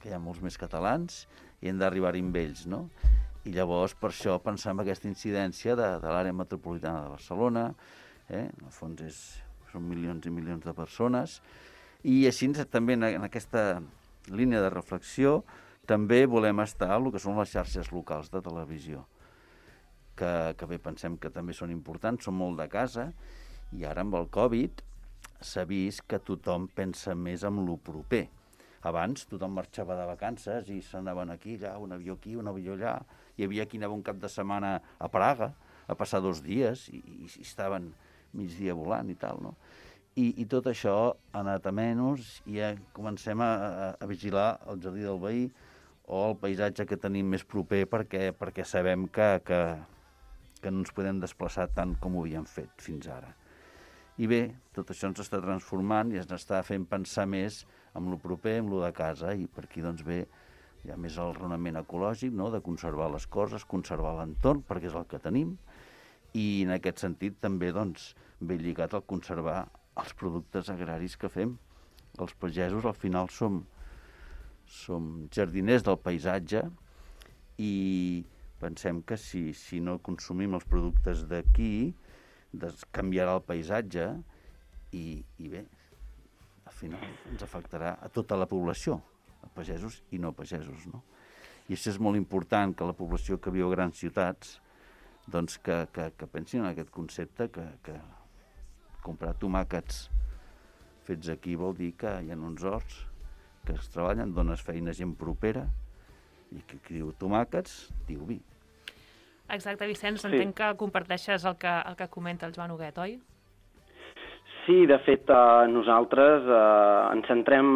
hi ha molts més catalans i hem d'arribar-hi amb ells, no? I llavors, per això, pensar en aquesta incidència de l'àrea metropolitana de Barcelona, en el fons són milions i milions de persones, i així també en aquesta línia de reflexió també volem estar en el que són les xarxes locals de televisió, que bé, pensem que també són importants, són molt de casa, i ara amb el Covid s'ha vist que tothom pensa més en lo proper. Abans tothom marxava de vacances i s'anaven aquí, allà, un avió aquí, un avió allà. Hi havia qui anava un cap de setmana a Praga a passar 2 dies i estaven migdia volant i tal, no? I tot això ha anat a menys i ja comencem a vigilar el jardí del veí o el paisatge que tenim més proper perquè sabem que no ens podem desplaçar tant com ho havíem fet fins ara. I bé, tot això ens està transformant i ens està fent pensar més amb lo proper, amb lo de casa, i per aquí doncs bé, hi ha més el raonament ecològic, no?, de conservar les coses, conservar l'entorn, perquè és el que tenim, i en aquest sentit també doncs ve lligat al conservar els productes agraris que fem. Els pagesos al final som jardiners del paisatge i pensem que si no consumim els productes d'aquí, canviarà el paisatge i bé, al final ens afectarà a tota la població, a pagesos i no pagesos, no? I això és molt important, que la població que viu a grans ciutats doncs que pensin en aquest concepte, que comprar tomàquets fets aquí vol dir que hi ha uns horts que es treballen, dones feina a gent propera, i que diu tomàquets, diu vi. Exacte, Vicenç, entenc que comparteixes el que comenta el Joan Huguet, oi? Sí, de fet, nosaltres ens centrem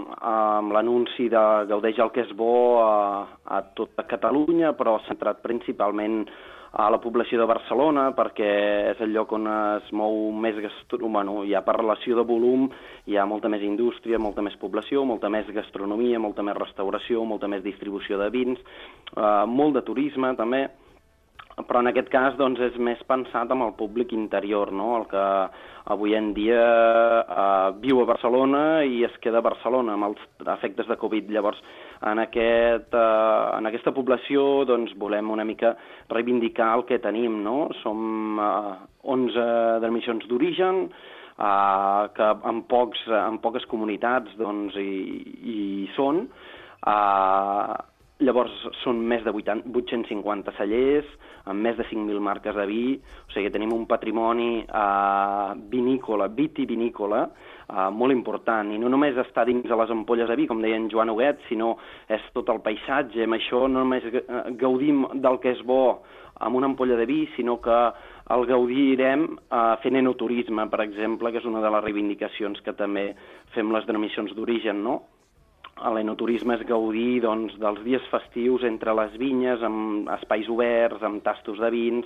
en l'anunci de Gaudeix el que és bo a tota Catalunya, però centrat principalment a la població de Barcelona, perquè és el lloc on es mou més gastronomia. Hi ha per relació de volum, hi ha molta més indústria, molta més població, molta més gastronomia, molta més restauració, molta més distribució de vins, molt de turisme també, però en aquest cas doncs, és més pensat amb el públic interior, no? El que avui en dia viu a Barcelona i es queda a Barcelona amb els efectes de Covid. Llavors, en aquesta població doncs, volem una mica reivindicar el que tenim, no? Som 11 denominacions d'origen, que en poques comunitats doncs, hi són. Llavors són més de 850 cellers, amb més de 5.000 marques de vi, o sigui que tenim un patrimoni vitivinícola molt important, i no només està dins de les ampolles de vi, com deia en Joan Huguet, sinó és tot el paisatge. Amb això no només gaudim del que és bo amb una ampolla de vi, sinó que el gaudirem fent enoturisme, per exemple, que és una de les reivindicacions que també fem les denominacions d'origen, no? L'enoturisme és gaudir doncs, dels dies festius entre les vinyes, amb espais oberts, amb tastos de vins,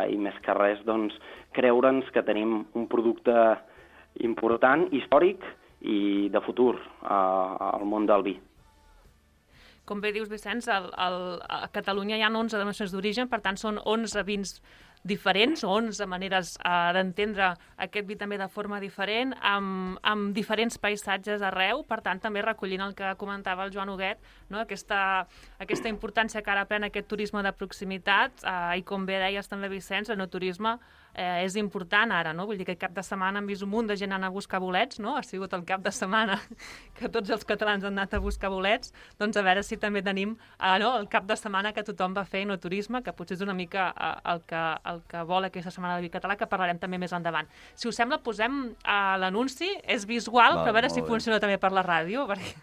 i més que res doncs, creure'ns que tenim un producte important, històric i de futur al món del vi. Com bé dius, Vicenç, a Catalunya hi ha 11 denominacions d'origen, per tant són 11 vins diferents, 11 maneres d'entendre aquest vi també de forma diferent, amb diferents paisatges arreu, per tant també recollint el que comentava el Joan Huguet, no? aquesta importància que ara pren aquest turisme de proximitat, i com bé deies també, Vicenç, l'enoturisme és important ara, no? Vull dir que aquest cap de setmana hem vist un munt de gent anar a buscar bolets, no? Ha sigut el cap de setmana que tots els catalans han anat a buscar bolets, doncs a veure si també tenim el cap de setmana que tothom va fer enoturisme, que potser és una mica el que vol aquesta setmana del vi català, que parlarem també més endavant. Si us sembla, posem l'anunci, és visual, però a veure si funciona també per la ràdio. Perquè...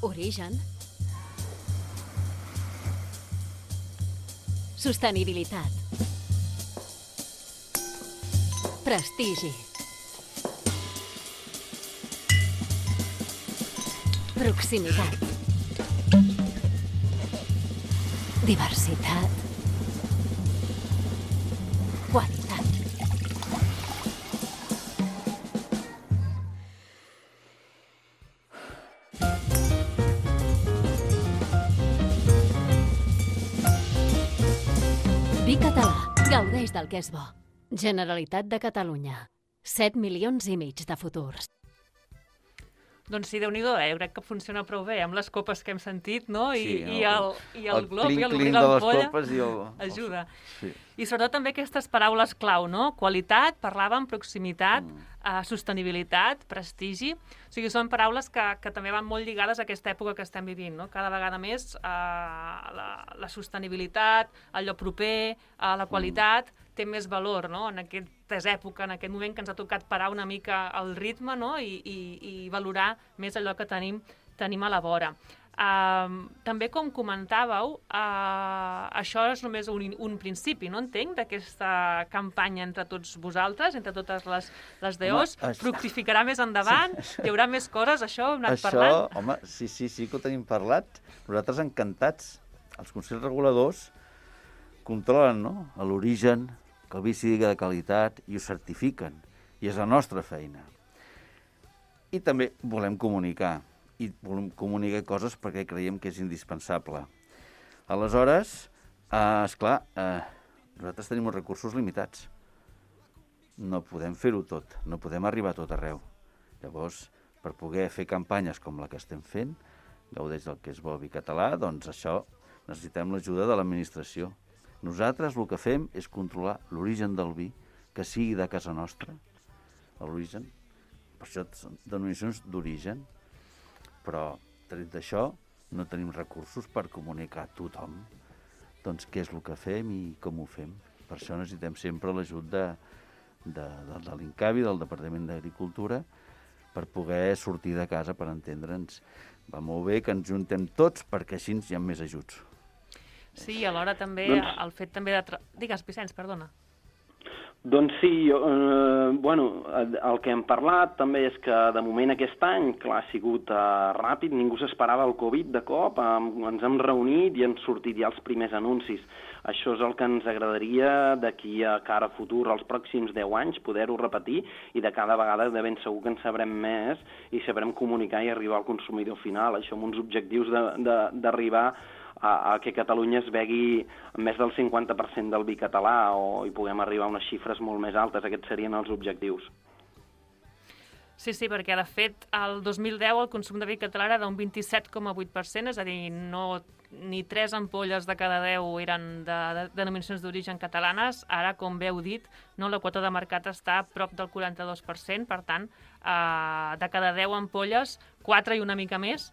Origen. Sostenibilitat. Prestigi. Proximitat. Diversitat. Qualitat. Vi català. Gaudeix del que és bo. Generalitat de Catalunya. 7,5 milions de futurs. Doncs sí, Déu-n'hi-do, jo crec que funciona prou bé, amb les copes que hem sentit, no? Sí, I el glob i l'obrir l'ampolla i ajuda. Sí. I sobretot també aquestes paraules clau, no? Qualitat, parlàvem, proximitat, sostenibilitat, prestigi. O sigui, són paraules que també van molt lligades a aquesta època que estem vivint, no? Cada vegada més la sostenibilitat, allò proper, la qualitat, té més valor, no? En aquesta època, en aquest moment que ens ha tocat parar una mica el ritme, no? I valorar més allò que tenim a la vora. També, com comentàveu, això és només un principi, no entenc, d'aquesta campanya entre tots vosaltres, entre totes les DOs. Fructificarà més endavant? Hi haurà més coses? Això ho hem anat parlant? Home, sí que ho tenim parlat. Nosaltres encantats. Els consells reguladors controlen, no?, l'origen, que el vi sigui de qualitat, i ho certifiquen. I és la nostra feina. I també volem comunicar. I volem comunicar coses perquè creiem que és indispensable. Aleshores, esclar, nosaltres tenim uns recursos limitats. No podem fer-ho tot, no podem arribar a tot arreu. Llavors, per poder fer campanyes com la que estem fent, gaudeix del que és bo el vi català, doncs això necessitem l'ajuda de l'administració. Nosaltres el que fem és controlar l'origen del vi, que sigui de casa nostra, l'origen. Per això són denominacions d'origen. Però, tret d'això, no tenim recursos per comunicar a tothom doncs què és el que fem i com ho fem. Per això necessitem sempre l'ajut de l'INCAVI, del Departament d'Agricultura, per poder sortir de casa, per entendre'ns. Va molt bé que ens juntem tots perquè així hi ha més ajuts. Sí, i alhora també el fet també de... Digues, Vicenç, perdona. Doncs sí, el que hem parlat també és que de moment aquest any, clar, ha sigut ràpid, ningú s'esperava el Covid de cop, ens hem reunit i han sortit ja els primers anuncis. Això és el que ens agradaria d'aquí a cara a futur, els pròxims 10 anys, poder-ho repetir, i de cada vegada de ben segur que en sabrem més i sabrem comunicar i arribar al consumidor final. Això amb uns objectius d'arribar a que Catalunya es begui més del 50% del vi català i puguem arribar a unes xifres molt més altes. Aquests serien els objectius. Sí, perquè de fet el 2010 el consum de vi català era d'un 27,8%, és a dir, ni 3 ampolles de cada 10 eren de denominacions d'origen catalanes. Ara, com bé heu dit, la quota de mercat està a prop del 42%, per tant, de cada 10 ampolles, 4 i una mica més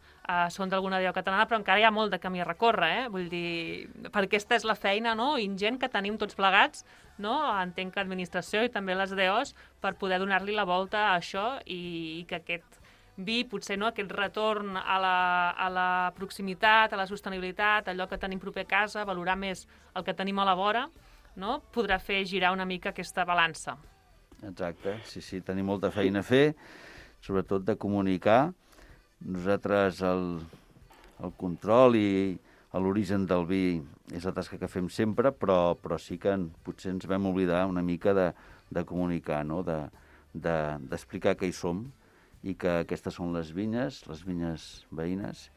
són d'alguna DO catalana, però encara hi ha molt de camí a recórrer, Vull dir, perquè aquesta és la feina ingent que tenim tots plegats, entenc que l'administració i també les DOs, per poder donar-li la volta a això i que aquest vi, potser no, aquest retorn a la proximitat, a la sostenibilitat, allò que tenim proper a casa, valorar més el que tenim a la vora, no? Podrà fer girar una mica aquesta balança. Exacte, sí, tenim molta feina a fer, sobretot de comunicar. Nosaltres el control i l'origen del vi és la tasca que fem sempre, però sí que potser ens vam oblidar una mica de comunicar, no? D'explicar què hi som i que aquestes són les vinyes veïnes,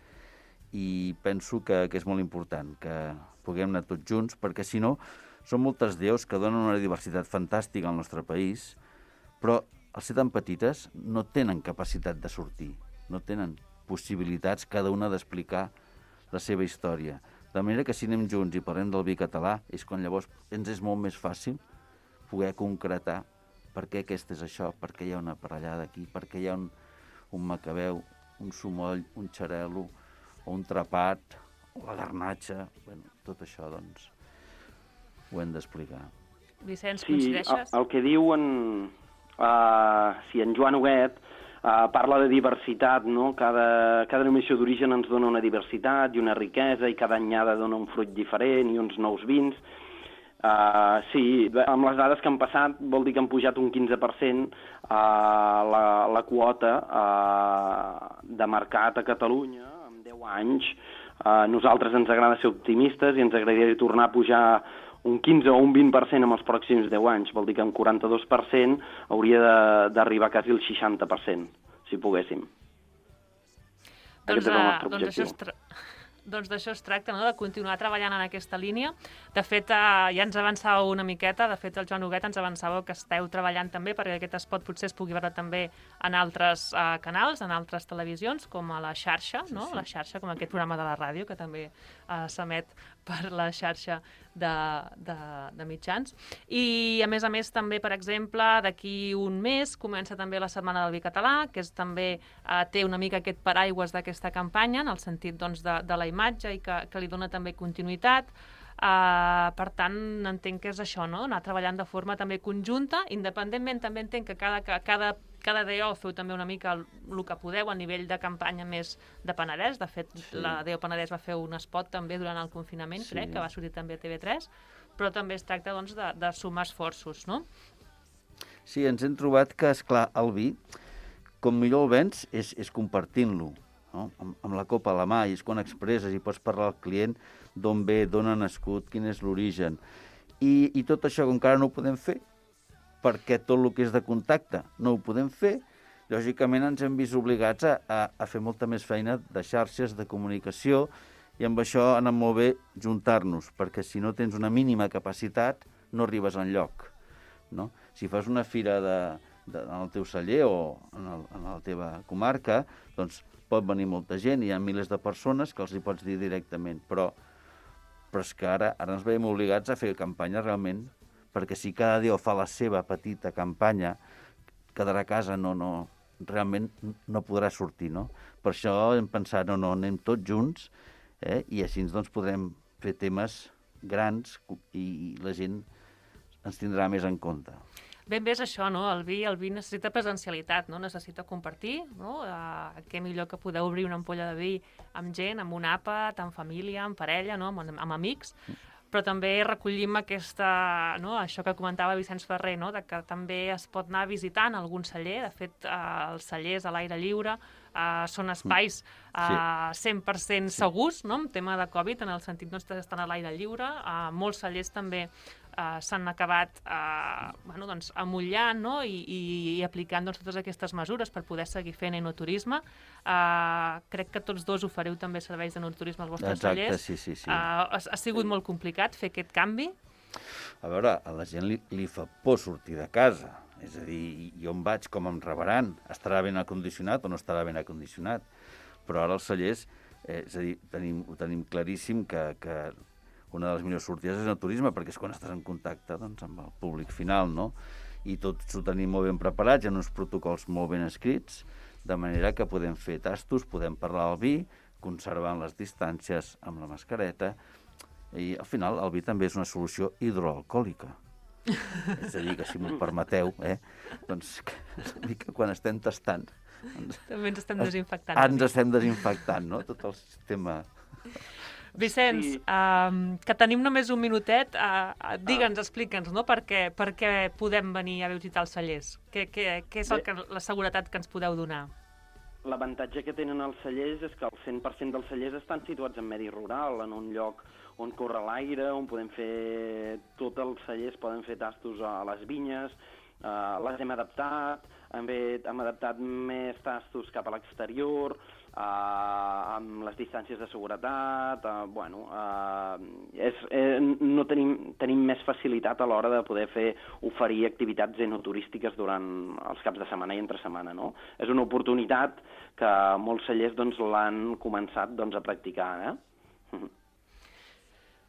i penso que és molt important que puguem anar tots junts, perquè si no, són moltes deus que donen una diversitat fantàstica al nostre país, però al ser tan petites no tenen capacitat de sortir, no tenen possibilitats cada una d'explicar la seva història. De manera que si anem junts i parlem del vi català, és quan llavors ens és molt més fàcil poder concretar per què aquest és això, per què hi ha una parellada aquí, per què hi ha un macabeu, un sumoll, un xarel·lo, o un trapat, o la garnatxa. Bueno, tot això, doncs, ho hem d'explicar. Vicenç, coincideixes? Sí, el que diuen, si en Joan Huguet parla de diversitat, no? Cada denominació d'origen ens dona una diversitat i una riquesa, i cada anyada dona un fruit diferent i uns nous vins. Sí, amb les dades que han passat vol dir que han pujat un 15% la quota de mercat a Catalunya en 10 anys. Nosaltres ens agrada ser optimistes i ens agradaria tornar a pujar un 15 o un 20% en els pròxims 10 anys. Vol dir que un 42% hauria d'arribar quasi al 60%, si poguéssim. Doncs d'això es tracta, no? De continuar treballant en aquesta línia. De fet, ja ens avançàveu una miqueta, de fet el Joan Huguet ens avançàveu que esteu treballant també perquè aquest spot potser es pugui veure també en altres canals, en altres televisions, com a la xarxa, no? Sí. La xarxa, com aquest programa de la ràdio, que també s'emet per la xarxa de mitjans. I, a més, també, per exemple, d'aquí un mes comença també la Setmana del Vi Català, que també té una mica aquest paraigües d'aquesta campanya, en el sentit doncs, de la imatge i que li dona també continuïtat. Per tant, entenc que és això, no? Anar treballant de forma també conjunta, independentment també entenc que cada DO feu també una mica el que podeu a nivell de campanya més de Penedès. De fet, la DO Penedès va fer un spot també durant el confinament, crec, que va sortir també a TV3, però també es tracta doncs, de sumar esforços, no? Sí, ens hem trobat que, esclar, el vi, com millor el vens, és compartint-lo, no? Amb la copa a la mà, i és quan expresses i pots parlar al client d'on ve, d'on ha nascut, quin és l'origen. I tot això, com encara no ho podem fer, perquè tot el que és de contacte no ho podem fer, lògicament ens hem vist obligats a fer molta més feina de xarxes, de comunicació, i amb això ha anat molt bé juntar-nos, perquè si no tens una mínima capacitat no arribes enlloc, no? Si fas una fira en el teu celler o en la teva comarca, doncs pot venir molta gent, hi ha milers de persones que els hi pots dir directament, però és que ara ens veiem obligats a fer campanya realment, perquè si cada dia fa la seva petita campanya, quedarà a casa, realment no podrà sortir, no? Per això hem pensat, anem tots junts, i així doncs podrem fer temes grans i la gent ens tindrà més en compte. Ben bé és això, no? El vi necessita presencialitat, no? Necessita compartir, no? Què millor que poder obrir una ampolla de vi amb gent, amb un àpat, amb família, amb parella, no? Amb amics, però també recollim això que comentava Vicenç Ferrer, no? De que també es pot anar visitant algun celler. De fet, els cellers a l'aire lliure són espais 100% segurs, no? En tema de Covid, en el sentit d'estar a l'aire lliure. Molts cellers també s'han acabat amollant, no? I aplicant totes aquestes mesures per poder seguir fent enoturisme. Crec que tots dos ofereu també serveis d'enoturisme als vostres cellers. Sí. Ha sigut molt complicat fer aquest canvi? A veure, a la gent li fa por sortir de casa. És a dir, jo on vaig, com em rebaran? Estarà ben acondicionat o no estarà ben acondicionat? Però ara els cellers, és a dir, ho tenim claríssim que una de les millors sortides és el turisme, perquè és quan estàs en contacte amb el públic final, no? I tots ho tenim molt ben preparats, hi ha uns protocols molt ben escrits, de manera que podem fer tastos, podem parlar del vi, conservant les distàncies amb la mascareta, i al final el vi també és una solució hidroalcohòlica. És a dir, que si m'ho permeteu, doncs quan estem tastant També ens estem desinfectant. Ens estem desinfectant, no? Tot el sistema... Vicenç, que tenim només un minutet, digue'ns, explica'ns, no? Per què podem venir a visitar els cellers? Què és la seguretat que ens podeu donar? L'avantatge que tenen els cellers és que el 100% dels cellers estan situats en medi rural, en un lloc on corre l'aire, on podem fer... Tots els cellers poden fer tastos a les vinyes, les hem adaptat, hem adaptat més tastos cap a l'exterior, amb les distàncies de seguretat, tenim més facilitat a l'hora de poder oferir activitats enoturístiques durant els caps de setmana i entre setmana, no? És una oportunitat que molts cellers l'han començat a practicar,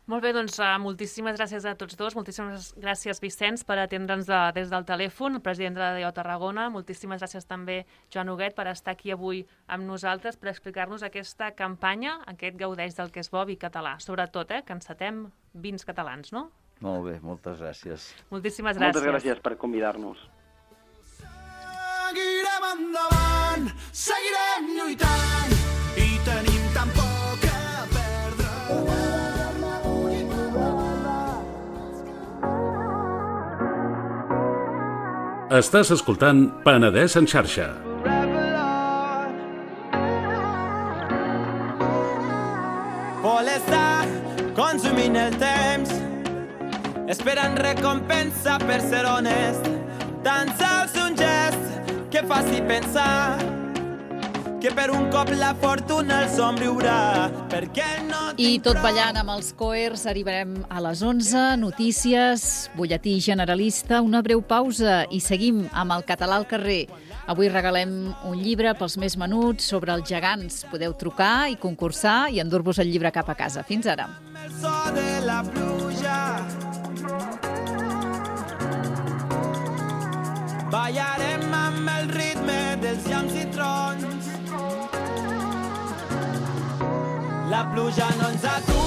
Molt bé, doncs moltíssimes gràcies a tots dos, moltíssimes gràcies Vicenç per atendre'ns des del telèfon, el president de la DO Tarragona, moltíssimes gràcies també Joan Huguet per estar aquí avui amb nosaltres per explicar-nos aquesta campanya, aquest gaudeix del que és bo vi català, sobretot que encetem vins catalans, no? Molt bé, moltes gràcies. Moltíssimes gràcies. Moltes gràcies per convidar-nos. Seguirem endavant, seguirem lluitant i tenim tan poc a perdre. Estàs escoltant Penedès en xarxa. Vol estar consumint el temps, esperant recompensa per ser honest. Tan sols un gest que faci pensar que per un cop la fortuna el somriurà. I tot ballant amb els Coers arribarem a les 11, notícies, butlletí generalista, una breu pausa i seguim amb el català al carrer. Avui regalem un llibre pels més menuts sobre els gegants. Podeu trucar i concursar i endur-vos el llibre cap a casa. Fins ara. El so de la pluja, ballarem amb el ritme dels llamps i trons. La pluja no ens atura.